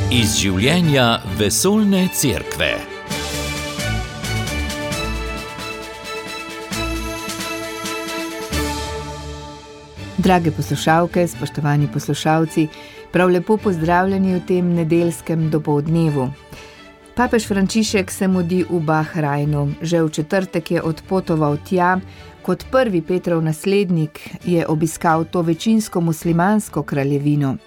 Iz življenja vesoljne cerkve. Drage poslušalke, spoštovani poslušalci, prav lepo pozdravljeni v tem nedeljskem dopoldnevu. Papež Frančišek se mudi v Bahrajnu. Že v četrtek je odpotoval tja. Kot prvi Petrov naslednik je obiskal to večinsko muslimansko kraljevino.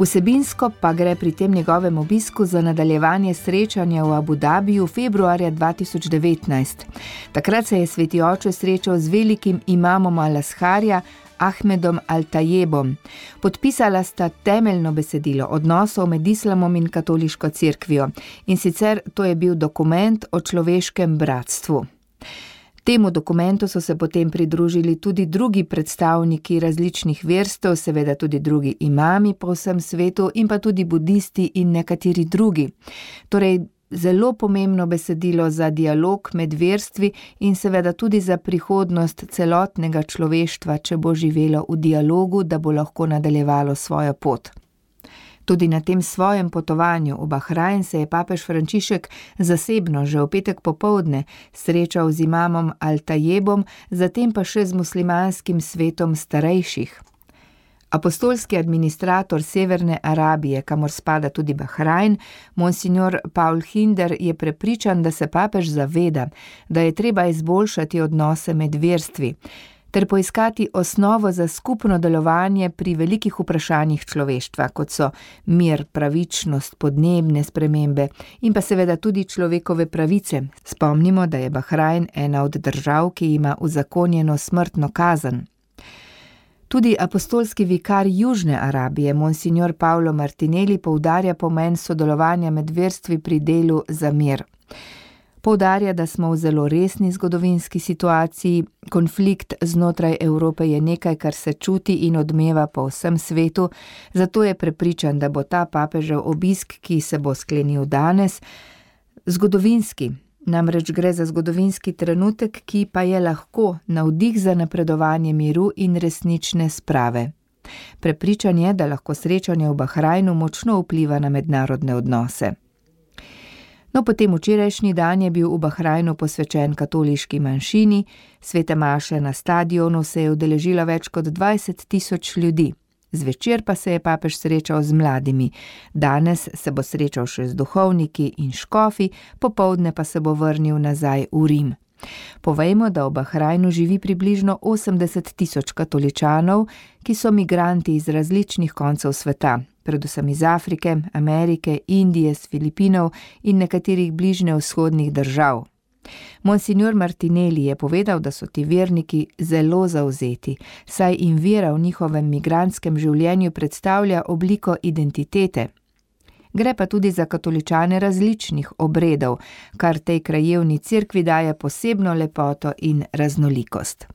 Vsebinsko pa gre pri tem njegovem obisku za nadaljevanje srečanja v Abu Dabiju februarja 2019. Takrat se je sveti oče srečal z velikim imamom Al-Azharja, Ahmedom Al-Tajebom. Podpisala sta temeljno besedilo odnosov med islamom in katoliško cerkvijo. In sicer to je bil dokument o človeškem bratstvu. Temu dokumentu so se potem pridružili tudi drugi predstavniki različnih verstev, seveda tudi drugi imami po vsem svetu in pa tudi budisti in nekateri drugi. Torej, zelo pomembno besedilo za dialog med verstvi in seveda tudi za prihodnost celotnega človeštva, če bo živelo v dialogu, da bo lahko nadaljevalo svojo pot. Tudi na tem svojem potovanju v Bahrajn se je papež Frančišek zasebno že v petek popoldne srečal z imamom Al-Tajebom, zatem pa še z muslimanskim svetom starejših. Apostolski administrator Severne Arabije, kamor spada tudi Bahrajn, monsignor Paul Hinder, je prepričan, da se papež zaveda, da je treba izboljšati odnose med verstvi, ter poiskati osnovo za skupno delovanje pri velikih vprašanjih človeštva, kot so mir, pravičnost, podnebne spremembe in pa seveda tudi človekove pravice. Spomnimo, da je Bahrajn ena od držav, ki ima uzakonjeno smrtno kazen. Tudi apostolski vikar Južne Arabije, monsignor Paolo Martinelli, poudarja pomen sodelovanja med verstvi pri delu za mir. Poudarja, da smo v zelo resni zgodovinski situaciji, konflikt znotraj Evrope je nekaj, kar se čuti in odmeva po vsem svetu, zato je prepričan, da bo ta papežev obisk, ki se bo sklenil danes, zgodovinski. Namreč gre za zgodovinski trenutek, ki pa je lahko navdih za napredovanje miru in resnične sprave. Prepričan je, da lahko srečanje v Bahrajnu močno vpliva na mednarodne odnose. No, potem včerajšnji dan je bil v Bahrajnu posvečen katoliški manjšini, svete maše na stadionu se je udeležilo več kot 20.000 ljudi. Zvečer pa se je papež srečal z mladimi. Danes se bo srečal še z duhovniki in škofi, popoldne pa se bo vrnil nazaj v Rim. Povejmo, da v Bahrajnu živi približno 80.000 katoličanov, ki so migranti iz različnih koncev sveta, predvsem iz Afrike, Amerike, Indije, s Filipinov in nekaterih bližnjevzhodnih držav. Monsignor Martinelli je povedal, da so ti verniki zelo zavzeti, saj jim vera v njihovem migrantskem življenju predstavlja obliko identitete. Gre pa tudi za katoličane različnih obredov, kar tej krajevni cerkvi daje posebno lepoto in raznolikost.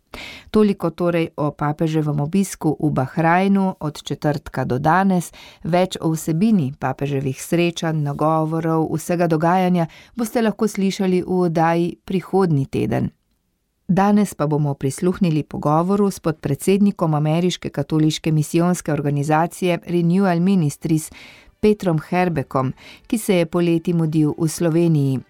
Toliko torej o papeževem obisku v Bahrajnu od četrtka do danes. Več o vsebini papeževih srečanj, nagovorov, vsega dogajanja boste lahko slišali v oddaji prihodnji teden. Danes pa bomo prisluhnili pogovoru s podpredsednikom ameriške katoliške misijonske organizacije Renewal Ministries, Petrom Herbekom, ki se je poleti mudil v Sloveniji.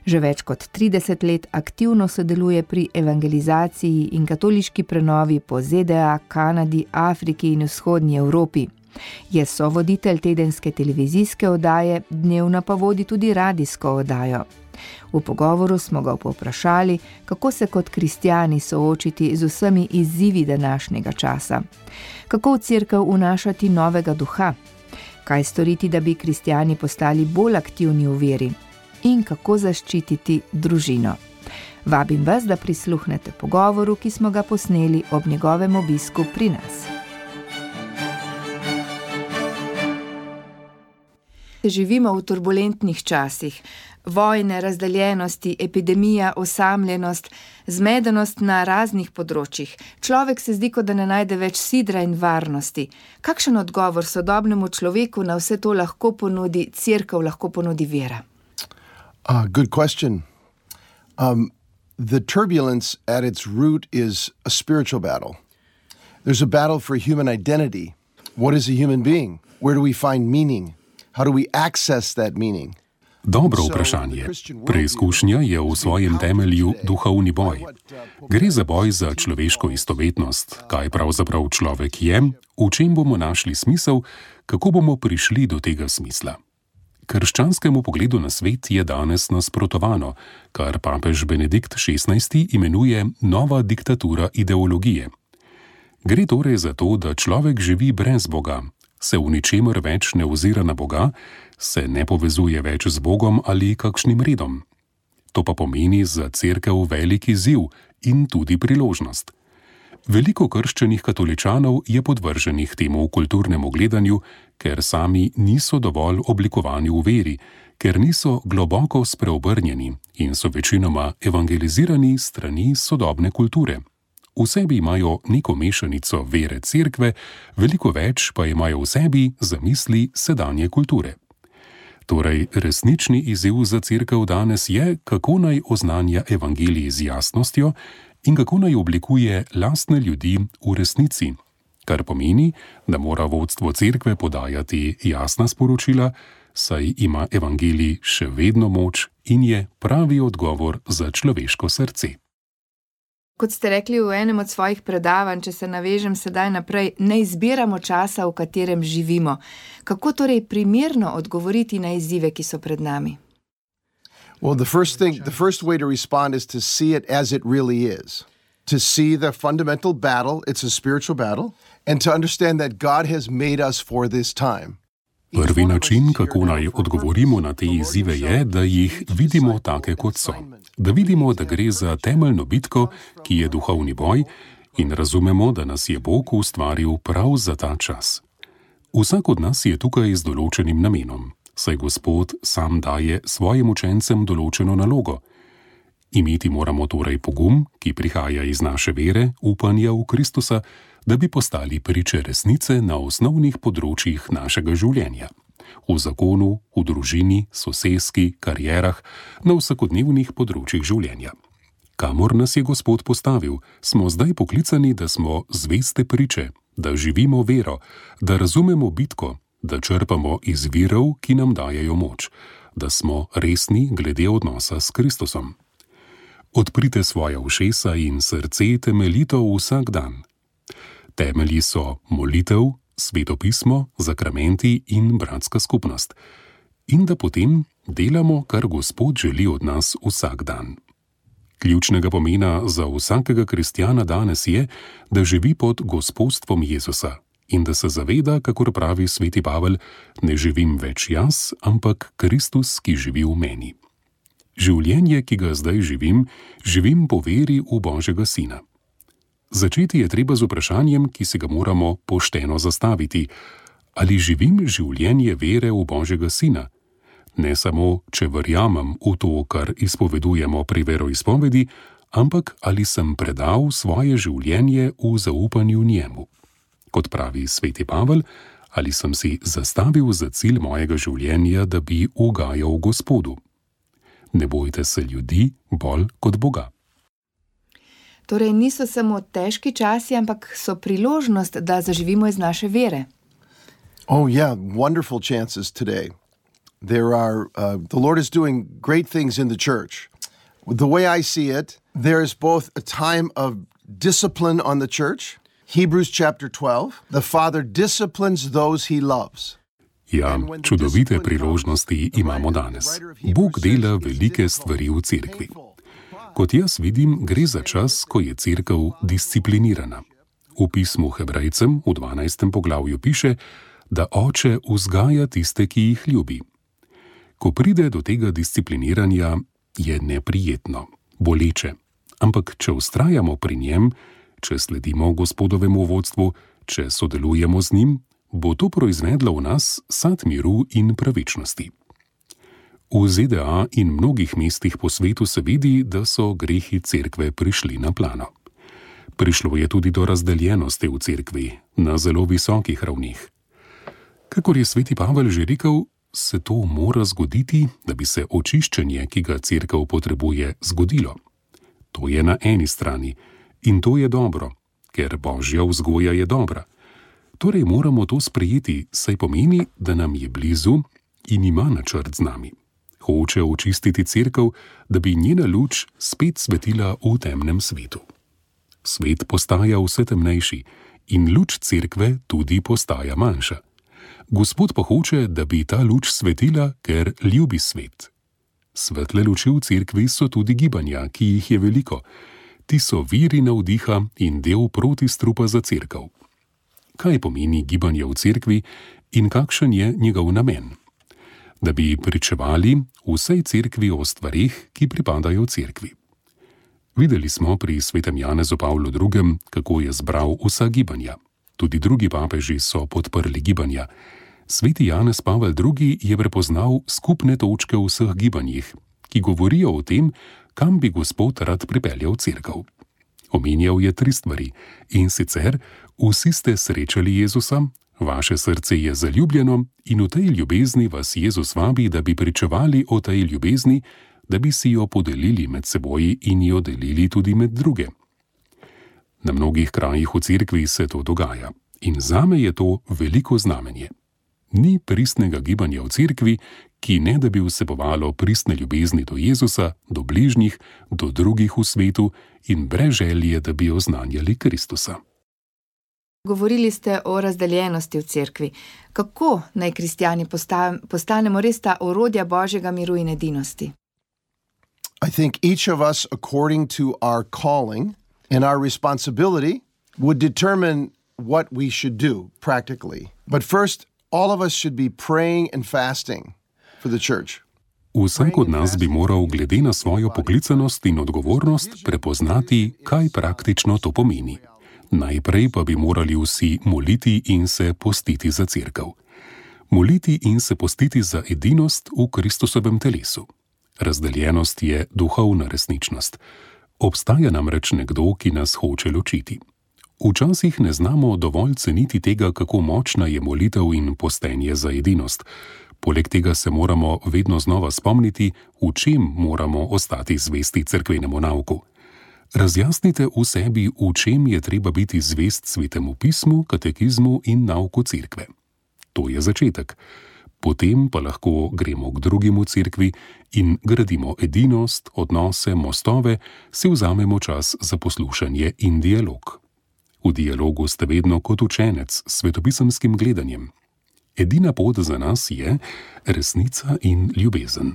Že več kot 30 let aktivno sodeluje pri evangelizaciji in katoliški prenovi po ZDA, Kanadi, Afriki in vzhodnji Evropi. Je sovoditelj tedenske televizijske oddaje, dnevno pa vodi tudi radijsko oddajo. V pogovoru smo ga povprašali, kako se kot kristjani soočiti z vsemi izzivi današnjega časa. Kako v cerkev vnašati novega duha? Kaj storiti, da bi kristjani postali bolj aktivni v veri? In kako zaščititi družino? Vabim vas, da prisluhnete pogovoru, ki smo ga posneli ob njegovem obisku pri nas. Živimo v turbulentnih časih. Vojne, razdeljenosti, epidemija, osamljenost, zmedenost na raznih področjih. Človek se zdi, kot da ne najde več sidra in varnosti. Kakšen odgovor sodobnemu človeku na vse to lahko ponudi cerkev, lahko ponudi vera? Good question. The turbulence at its root is a spiritual battle. There's a battle for human identity. What is a human being? Where do we find meaning? How do we access that meaning? Dobro vprašanje. Preizkušnja je v svojem temelju duhovni boj. Gre za boj za človeško istovetnost, kaj pravzaprav človek je, v čem bomo našli smisel, kako bomo prišli do tega smisla. Krščanskemu pogledu na svet je danes nasprotovano, kar papež Benedikt XVI imenuje nova diktatura ideologije. Gre torej za to, da človek živi brez Boga, se v ničemer več ne ozira na Boga, se ne povezuje več z Bogom ali kakšnim redom. To pa pomeni za cerkev velik izziv in tudi priložnost. Veliko krščenih katoličanov je podvrženih temu kulturnemu gledanju, ker sami niso dovolj oblikovani v veri, ker niso globoko spreobrnjeni in so večinoma evangelizirani strani sodobne kulture. V sebi imajo neko mešanico vere cerkve, veliko več pa imajo v sebi zamisli sedanje kulture. Torej, resnični izziv za cerkev danes je, kako naj oznanja evangelij z jasnostjo in kako naj oblikuje lastne ljudi v resnici, kar pomeni, da mora vodstvo cerkve podajati jasna sporočila, saj ima evangelij še vedno moč in je pravi odgovor za človeško srce. Kot ste rekli v enem od svojih predavanj, če se navežem sedaj naprej, ne izbiramo časa, v katerem živimo. Kako torej primerno odgovoriti na izzive, ki so pred nami? Well, the first way to respond is to see it as it really is. To see the fundamental battle, it's a spiritual battle, and to understand that God has made us for this time. Prvi način, kako naj odgovorimo na te izzive, je, da jih vidimo take, kot so. Da vidimo, da gre za temeljno bitko, ki je duhovni boj, in razumemo, da nas je Bog ustvaril prav za ta čas. Vsak od nas je tukaj z določenim namenom, saj Gospod sam daje svojim učencem določeno nalogo. Imeti moramo torej pogum, ki prihaja iz naše vere, upanja v Kristusa, da bi postali priče resnice na osnovnih področjih našega življenja. V zakonu, v družini, soseski, karierah, na vsakodnevnih področjih življenja. Kamor nas je Gospod postavil, smo zdaj poklicani, da smo zveste priče, da živimo vero, da razumemo bitko, da črpamo iz virov, ki nam dajejo moč, da smo resni glede odnosa s Kristusom. Odprite svoja ušesa in srce temeljito vsak dan. Temelji so molitev, Sveto pismo, zakramenti in bratska skupnost. In da potem delamo, kar Gospod želi od nas vsak dan. Ključnega pomena za vsakega kristjana danes je, da živi pod gospodstvom Jezusa in da se zaveda, kakor pravi sveti Pavel, ne živim več jaz, ampak Kristus, ki živi v meni. Življenje, ki ga zdaj živim po veri v Božjega Sina. Začeti je treba z vprašanjem, ki se ga moramo pošteno zastaviti. Ali živim življenje vere v Božjega Sina? Ne samo, če verjamem v to, kar izpovedujemo pri veroizpovedi, ampak ali sem predal svoje življenje v zaupanju njemu. Kot pravi sveti Pavel, ali sem si zastavil za cilj mojega življenja, da bi ugajal Gospodu. Ne bojte se ljudi bolj kot Boga. Torej niso samo težki časi, ampak so priložnost, da zaživimo iz naše vere. Oh yeah, wonderful chances today. The Lord is doing great things in the church. The way I see it, there is both a time of discipline on the church. Hebrews chapter 12, the Father disciplines those he loves. Ja, čudovite priložnosti imamo danes. Bog dela velike stvari v cerkvi. Kot jaz vidim, gre za čas, ko je cerkev disciplinirana. V pismu Hebrejcem v 12. poglavju piše, da Oče vzgaja tiste, ki jih ljubi. Ko pride do tega discipliniranja, je neprijetno, boleče. Ampak če vztrajamo pri njem, če sledimo Gospodovemu vodstvu, če sodelujemo z njim, bo to proizvedlo v nas sad miru in pravičnosti. V ZDA in mnogih mestih po svetu se vidi, da so grehi cerkve prišli na plano. Prišlo je tudi do razdeljenosti v cerkvi, na zelo visokih ravnih. Kakor je sveti Pavel že rekel, se to mora zgoditi, da bi se očiščenje, ki ga cerkev potrebuje, zgodilo. To je na eni strani in to je dobro, ker Božja vzgoja je dobra. Torej moramo to sprejeti, saj pomeni, da nam je blizu, in ima načrt z nami. Hoče očistiti cerkev, da bi njena luč spet svetila v temnem svetu. Svet postaja vse temnejši in luč cerkve tudi postaja manjša. Gospod pa hoče, da bi ta luč svetila, ker ljubi svet. Svetle luči v cerkvi so tudi gibanja, ki jih je veliko. Ti so viri navdiha in del protistrupa za cerkev. Kaj pomeni gibanje v cerkvi in kakšen je njegov namen? Da bi pričevali vsej cerkvi o stvareh, ki pripadajo cerkvi. Videli smo pri svetem Janezu Pavlu II., kako je zbral vsa gibanja. Tudi drugi papeži so podprli gibanja. Sveti Janez Pavel II. Je prepoznal skupne točke v vseh gibanjih, ki govorijo o tem, kam bi Gospod rad pripeljal cerkev. Omenjal je 3 stvari, in sicer: vsi ste srečali Jezusa, vaše srce je zaljubljeno in v tej ljubezni vas Jezus vabi, da bi pričevali o tej ljubezni, da bi si jo podelili med seboj in jo delili tudi med druge. Na mnogih krajih v cerkvi se to dogaja in zame je to veliko znamenje. Ni pristnega gibanja v cerkvi, ki ne da bi vsebovalo pristne ljubezni do Jezusa, do bližnjih, do drugih v svetu in brez želje, da bi oznanjali Kristusa. Govorili ste o razdeljenosti v cerkvi. Kako naj kristjani postanemo res ta orodja Božjega miru in edinosti? I think each of us, according to our calling and our responsibility, would determine what we should do practically. But first, all of us should be praying and fasting for the church. Vsak od nas bi moral glede na svojo poklicanost in odgovornost prepoznati, kaj praktično to pomeni. Najprej pa bi morali vsi moliti in se postiti za cerkev. Moliti in se postiti za edinost v Kristusovem telesu. Razdeljenost je duhovna resničnost. Obstaja namreč nekdo, ki nas hoče ločiti. Včasih ne znamo dovolj ceniti tega, kako močna je molitev in postenje za edinost. Poleg tega se moramo vedno znova spomniti, v čem moramo ostati zvesti cerkvenemu nauku. Razjasnite v sebi, v čem je treba biti zvest Svetemu pismu, katekizmu in nauku cerkve. To je začetek. Potem pa lahko gremo k drugim v cerkvi in gradimo edinost, odnose, mostove, si vzamemo čas za poslušanje in dialog. V dialogu ste vedno kot učenec s svetopisemskim gledanjem. Edina pot za nas je resnica in ljubezen.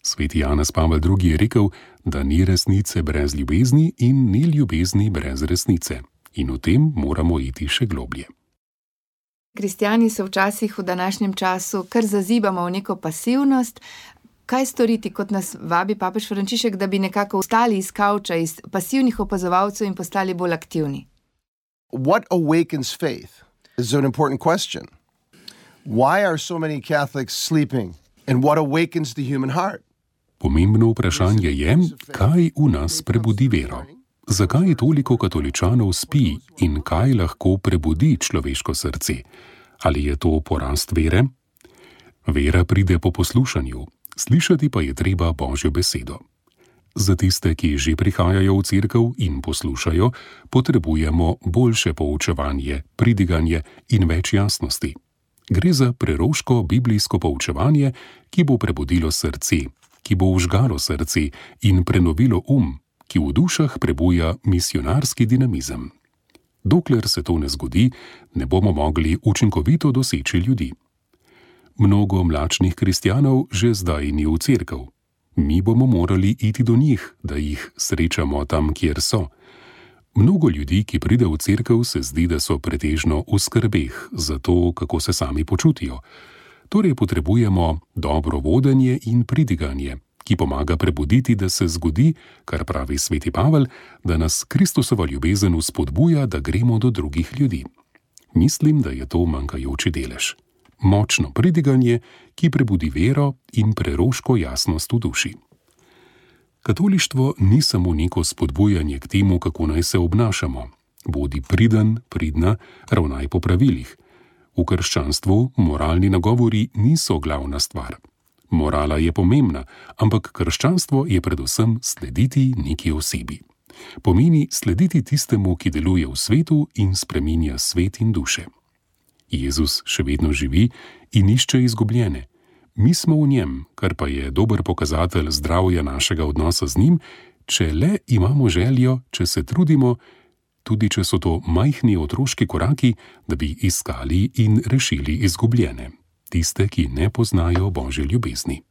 Sveti Janez Pavel II. Je rekel, da ni resnice brez ljubezni in ni ljubezni brez resnice. In v tem moramo iti še globlje. Kristjani se včasih v današnjem času kar zazibamo v neko pasivnost. Kaj storiti, kot nas vabi papež Frančišek, da bi nekako vstali iz kavča, iz pasivnih opazovalcev in postali bolj aktivni? What awakens faith is an important question. Why are so many Catholics sleeping and what awakens the human heart? Pomembno vprašanje je, kaj v nas prebudi vero. Zakaj toliko katoličanov spi in kaj lahko prebudi človeško srce? Ali je to porast vere? Vera pride po poslušanju, slišati pa je treba Božjo besedo. Za tiste, ki že prihajajo v cerkev in poslušajo, potrebujemo boljše poučevanje, pridiganje in več jasnosti. Gre za preroško biblijsko poučevanje, ki bo prebudilo srce, ki bo vžgalo srce in prenovilo ki v dušah prebuja misionarski dinamizem. Dokler se to ne zgodi, ne bomo mogli učinkovito doseči ljudi. Mnogo mlačnih kristjanov že zdaj ni v cerkev. Mi bomo morali iti do njih, da jih srečamo tam, kjer so. Mnogo ljudi, ki pride v cerkev, se zdi, da so pretežno v skrbeh za to, kako se sami počutijo. Torej potrebujemo dobro vodenje in pridiganje, ki pomaga prebuditi, da se zgodi, kar pravi sveti Pavel, da nas Kristusova ljubezen vzpodbuja, da gremo do drugih ljudi. Mislim, da je to manjkajoči delež. Močno pridiganje, ki prebudi vero in preroško jasnost v duši. Katolištvo ni samo neko spodbujanje k temu, kako naj se obnašamo. Bodi priden, pridna, ravnaj po pravilih. V krščanstvu moralni nagovori niso glavna stvar. Morala je pomembna, ampak krščanstvo je predvsem slediti neki osebi. Pomeni slediti tistemu, ki deluje v svetu in spreminja svet in duše. Jezus še vedno živi in išče izgubljene. Mi smo v njem, kar pa je dober pokazatelj zdravja našega odnosa z njim, če le imamo željo, če se trudimo, tudi če so to majhni otroški koraki, da bi iskali in rešili izgubljene, tiste, ki ne poznajo Božje ljubezni.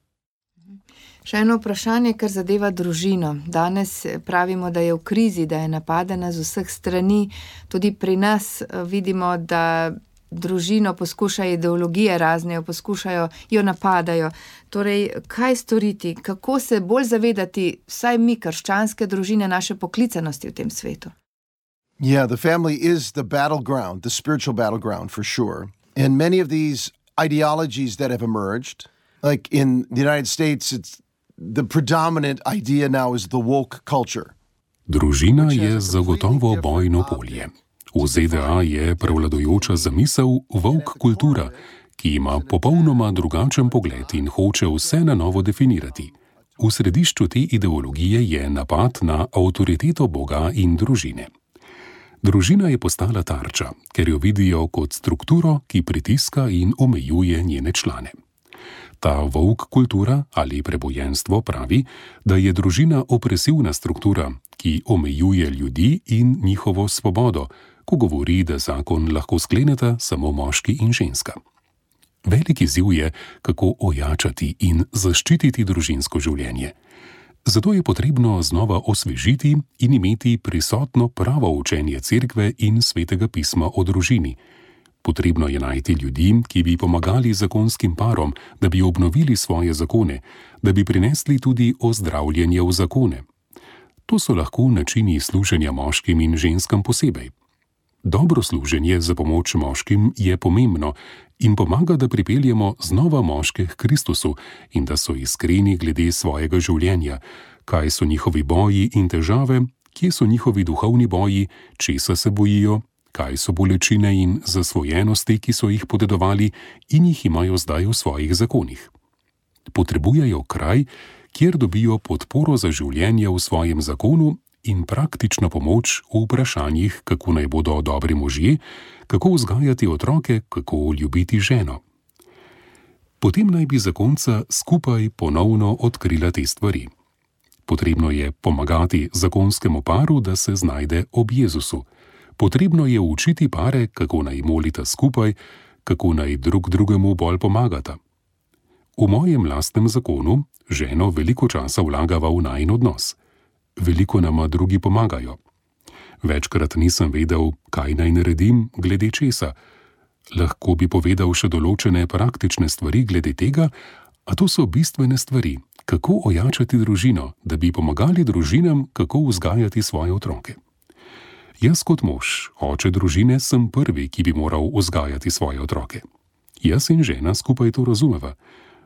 Še eno vprašanje, kar zadeva družino. Danes pravimo, da je v krizi, da je napadena z vseh strani. Tudi pri nas vidimo, da družino poskušajo ideologije razne, poskušajo, jo napadajo. Torej, kaj storiti? Kako se bolj zavedati, vsaj mi, krščanske družine, naše poklicanosti v tem svetu? Yeah, the family is the battleground, the spiritual battleground for sure. And many of these ideologies that have emerged, like in the United States, the predominant idea now is the woke culture. Družina je zagotovo bojno polje. V ZDA je prevladujoča zamisel woke kultura, ki ima popolnoma drugačen pogled in hoče vse na novo definirati. V središču te ideologije je napad na avtoriteto Boga in družine. Družina je postala tarča, ker jo vidijo kot strukturo, ki pritiska in omejuje njene člane. Ta woke kultura ali prebojenstvo pravi, da je družina opresivna struktura, ki omejuje ljudi in njihovo svobodo, ko govori, da zakon lahko skleneta samo moški in ženska. Veliki izziv je, kako ojačati in zaščititi družinsko življenje. Zato je potrebno znova osvežiti in imeti prisotno pravo učenje cerkve in svetega pisma o družini. Potrebno je najti ljudi, ki bi pomagali zakonskim parom, da bi obnovili svoje zakone, da bi prinesli tudi ozdravljenje v zakone. To so lahko načini služenja moškim in ženskam posebej. Dobro služenje za pomoč moškim je pomembno in pomaga, da pripeljemo znova moške k Kristusu in da so iskreni glede svojega življenja, kaj so njihovi boji in težave, kje so njihovi duhovni boji, česa se bojijo, kaj so bolečine in zasvojenosti, ki so jih podedovali in jih imajo zdaj v svojih zakonih. Potrebujejo kraj, kjer dobijo podporo za življenje v svojem zakonu in praktično pomoč v vprašanjih, kako naj bodo dobri možje, kako vzgajati otroke, kako ljubiti ženo. Potem naj bi zakonca skupaj ponovno odkrila te stvari. Potrebno je pomagati zakonskemu paru, da se znajde ob Jezusu. Potrebno je učiti pare, kako naj molita skupaj, kako naj drug drugemu bolj pomagata. V mojem lastnem zakonu ženo veliko časa vlagava v najin odnos. Veliko nama drugi pomagajo. Večkrat nisem vedel, kaj naj naredim glede česa. Lahko bi povedal še določene praktične stvari glede tega, a to so bistvene stvari, kako ojačati družino, da bi pomagali družinam, kako vzgajati svoje otroke. Jaz kot mož, oče družine, sem prvi, ki bi moral vzgajati svoje otroke. Jaz in žena skupaj to razumeva.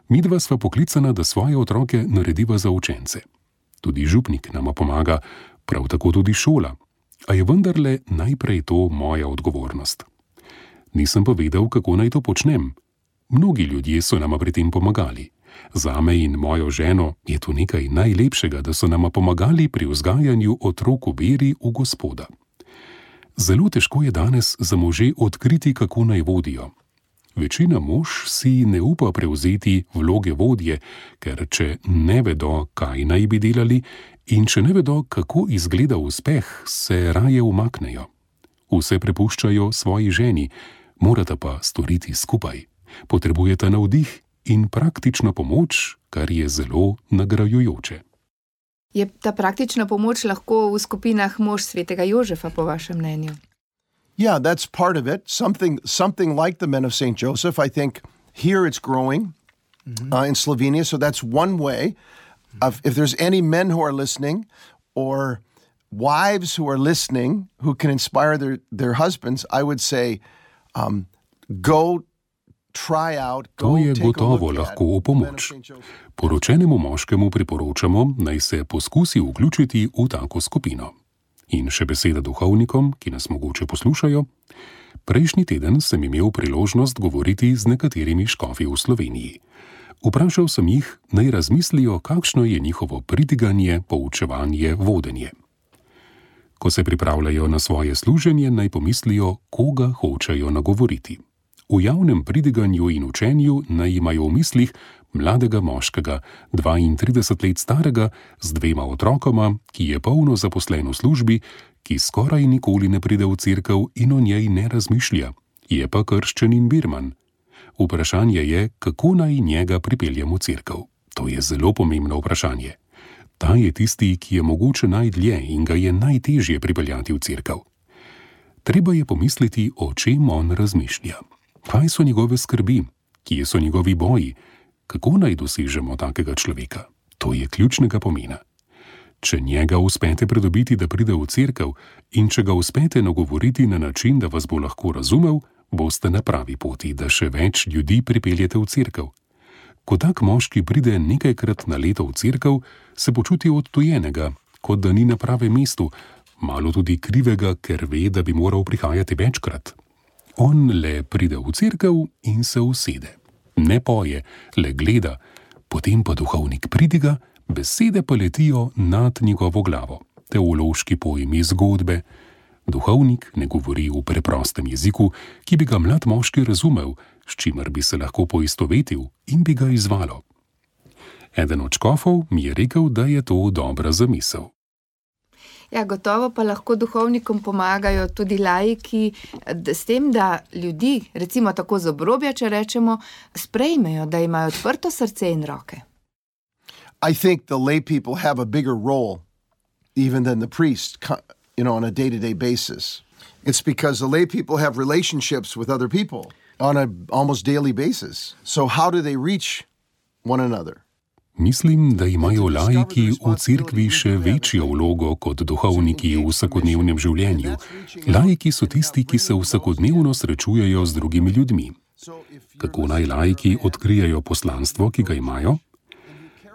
Midva sva poklicana, da svoje otroke narediva za učence. Tudi župnik nama pomaga, prav tako tudi šola. A je vendarle najprej to moja odgovornost. Nisem pa vedel, kako naj to počnem. Mnogi ljudje so nama pri tem pomagali. Zame in mojo ženo je to nekaj najlepšega, da so nama pomagali pri vzgajanju otrok v veri v Gospoda. Zelo težko je danes za može odkriti, kako naj vodijo. Večina mož si ne upa prevzeti vloge vodje, ker če ne vedo, kaj naj bi delali in če ne vedo, kako izgleda uspeh, se raje umaknejo. Vse prepuščajo svoji ženi, morata pa storiti skupaj. Potrebujeta navdih in praktično pomoč, kar je zelo nagrajujoče. Je ta praktična pomoč lahko v skupinah mož svetega Jožefa, po vašem mnenju? Yeah, that's part of it. Something like the Men of St. Joseph. I think here it's growing in Slovenia. So that's one way. If there's any men who are listening or wives who are listening who can inspire their husbands, I would say go try out, go take a look at. To je gotovo lahko v pomoč. Poročenemu moškemu priporočamo, naj se poskusi vključiti v tako skupino. In še beseda duhovnikom, ki nas mogoče poslušajo. Prejšnji teden sem imel priložnost govoriti z nekaterimi škofi v Sloveniji. Vprašal sem jih, naj razmislijo, kakšno je njihovo pridiganje, poučevanje, vodenje. Ko se pripravljajo na svoje služenje, naj pomislijo, koga hočejo nagovoriti. V javnem pridiganju in učenju naj imajo v mislih mladega moškega, 32 let starega, z 2 otrokoma, ki je polno zaposlen v službi, ki skoraj nikoli ne pride v cerkev in o njej ne razmišlja, je pa krščen in birman. Vprašanje je, kako naj njega pripeljem v cerkev. To je zelo pomembno vprašanje. Ta je tisti, ki je mogoče najdlje in ga je najtežje pripeljati v cerkev. Treba je pomisliti, o čem on razmišlja. Kaj so njegove skrbi? Kje so njegovi boji? Kako naj dosežemo takega človeka? To je ključnega pomena. Če njega uspete pridobiti, da pride v cerkev, in če ga uspete nagovoriti na način, da vas bo lahko razumel, boste na pravi poti, da še več ljudi pripeljete v cerkev. Ko tak moški pride nekajkrat na leto v cerkev, se počuti odtujenega, kot da ni na pravem mestu, malo tudi krivega, ker ve, da bi moral prihajati večkrat. On le pride v cerkev in se usede. Ne poje, le gleda, potem pa duhovnik pridiga, besede pa letijo nad njegovo glavo. Teološki pojmi, zgodbe. Duhovnik ne govori v preprostem jeziku, ki bi ga mlad moški razumel, s čimer bi se lahko poistovetil in bi ga izvalo. Eden od škofov mi je rekel, da je to dobra zamisel. Ja, gotovo pa lahko duhovnikom pomagajo tudi laiki s tem, da ljudi, recimo tako z obrobja, če rečemo, sprejmejo, da imajo odprto srce in roke. I think the lay people have a bigger role even than the priest, on a day-to-day basis. It's because the lay people have relationships with other people on an almost daily basis. So how do they reach one another? Mislim, da imajo laiki v cerkvi še večjo vlogo kot duhovniki v vsakodnevnem življenju. Laiki so tisti, ki se vsakodnevno srečujejo z drugimi ljudmi. Kako naj laiki odkrijejo poslanstvo, ki ga imajo?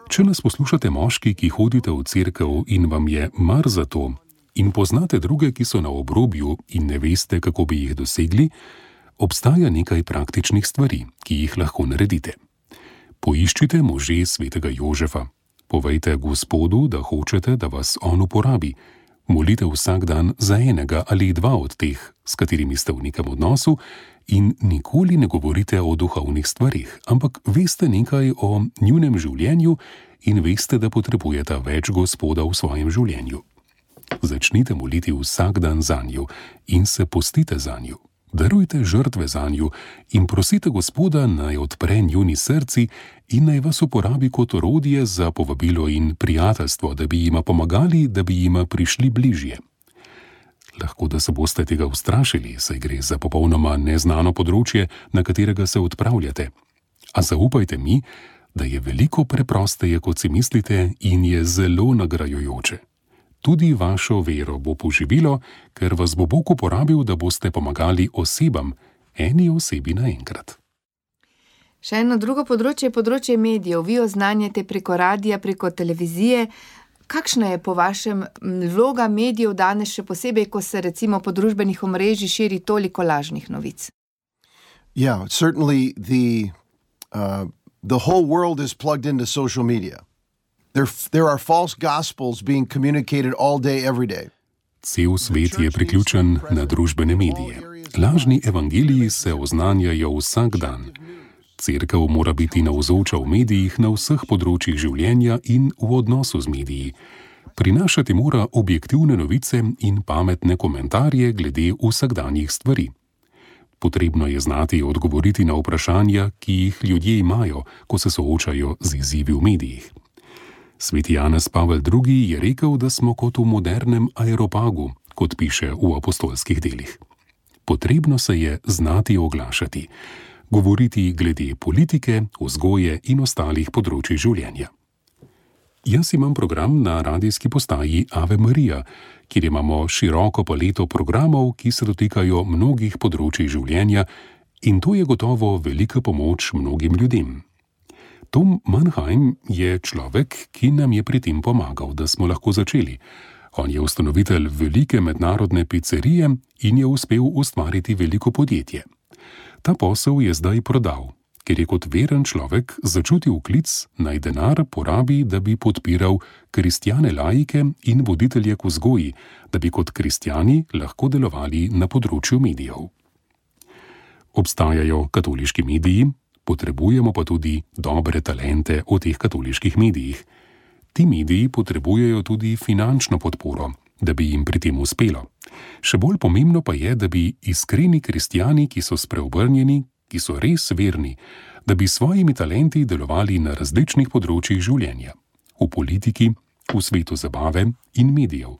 Če nas poslušate moški, ki hodite v cerkev in vam je mar za to, in poznate druge, ki so na obrobju in ne veste, kako bi jih dosegli, obstaja nekaj praktičnih stvari, ki jih lahko naredite. Poiščite može svetega Jožefa. Povejte Gospodu, da hočete, da vas on uporabi. Molite vsak dan za enega ali 2 od teh, s katerimi ste v nekem odnosu, in nikoli ne govorite o duhovnih stvarih, ampak veste nekaj o njunem življenju in veste, da potrebujete več Gospoda v svojem življenju. Začnite moliti vsak dan zanju in se postite zanju. Darujte žrtve zanju in prosite Gospoda, naj odpre njuni srci in naj vas uporabi kot orodje za povabilo in prijateljstvo, da bi jima pomagali, da bi jima prišli bližje. Lahko da se boste tega ustrašili, saj gre za popolnoma neznano področje, na katerega se odpravljate. A zaupajte mi, da je veliko preprosteje, kot si mislite, in je zelo nagrajujoče. Tudi vašo vero bo poživilo, ker vas bo Bog uporabil, da boste pomagali osebam, eni osebi naenkrat. Še eno drugo področje je področje medijev. Vi oznanjate preko radija, preko televizije. Kakšna je po vašem vloga medijev danes, še posebej, ko se recimo po družbenih omrežjih širi toliko lažnih novic? Yeah, certainly the whole world is plugged into social media. There are false gospels being communicated all day, every day. Cel svet je priključen na družbene medije. Lažni evangeliji se oznanjajo vsak dan. Cerkev mora biti navzoča v medijih na vseh področjih življenja in v odnosu z mediji. Prinašati mora objektivne novice in pametne komentarje glede vsakdanjih stvari. Potrebno je znati odgovoriti na vprašanja, ki jih ljudje imajo, ko se soočajo z izzivi v medijih. Sveti Janez Pavel II. Je rekel, da smo kot v modernem aeropagu, kot piše v apostolskih delih. Potrebno se je znati oglašati, govoriti glede politike, vzgoje in ostalih področij življenja. Jaz imam program na radijski postaji Ave Marija, kjer imamo široko paleto programov, ki se dotikajo mnogih področij življenja, in to je gotovo velika pomoč mnogim ljudem. Tom Mannheim je človek, ki nam je pri tem pomagal, da smo lahko začeli. On je ustanovitelj velike mednarodne pizzerije in je uspel ustvariti veliko podjetje. Ta posel je zdaj prodal, ker je kot veren človek začutil klic, naj denar porabi, da bi podpiral kristjane laike in voditelje k vzgoji, da bi kot kristjani lahko delovali na področju medijev. Obstajajo katoliški mediji, Potrebujemo pa tudi dobre talente v teh katoliških medijih. Ti mediji potrebujejo tudi finančno podporo, da bi jim pri tem uspelo. Še bolj pomembno pa je, da bi iskreni kristjani, ki so spreobrnjeni, ki so res verni, da bi svojimi talenti delovali na različnih področjih življenja. V politiki, v svetu zabave in medijev.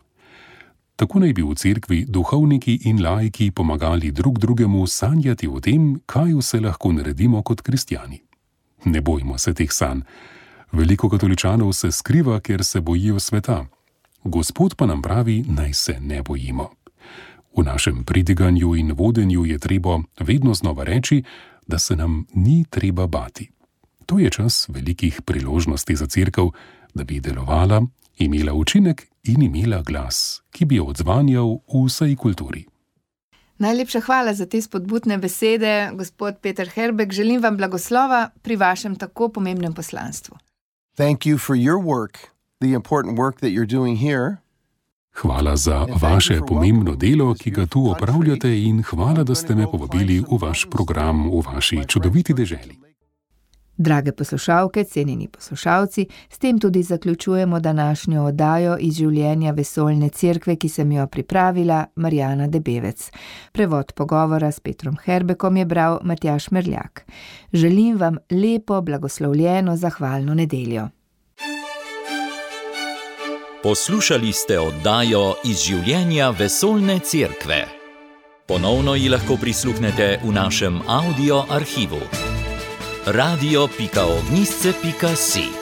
Tako naj bi v cerkvi duhovniki in laiki pomagali drug drugemu sanjati o tem, kaj vse lahko naredimo kot kristjani. Ne bojmo se teh sanj. Veliko katoličanov se skriva, ker se bojijo sveta. Gospod pa nam pravi, naj se ne bojimo. V našem pridiganju in vodenju je treba vedno znova reči, da se nam ni treba bati. To je čas velikih priložnosti za cerkev, da bi delovala, imela učinek in imela glas, ki bi odzvanjal v vsej kulturi. Najlepša hvala za te spodbudne besede, gospod Peter Herbek. Želim vam blagoslova pri vašem tako pomembnem poslanstvu. Thank you for your work, the important work that you're doing here. Hvala za vaše pomembno delo, ki ga tu opravljate, in hvala, da ste me povabili v vaš program v vaši čudoviti deželi. Drage poslušalke, cenjeni poslušalci, s tem tudi zaključujemo današnjo oddajo iz življenja Vesoljne cerkve, ki sem jo pripravila Marjana Debevec. Prevod pogovora s Petrom Herbekom je bral Matjaž Merljak. Želim vam lepo, blagoslovljeno, zahvalno nedeljo. Poslušali ste oddajo iz življenja Vesoljne cerkve. Ponovno ji lahko prisluhnete v našem audio arhivu. radio.ognisce.si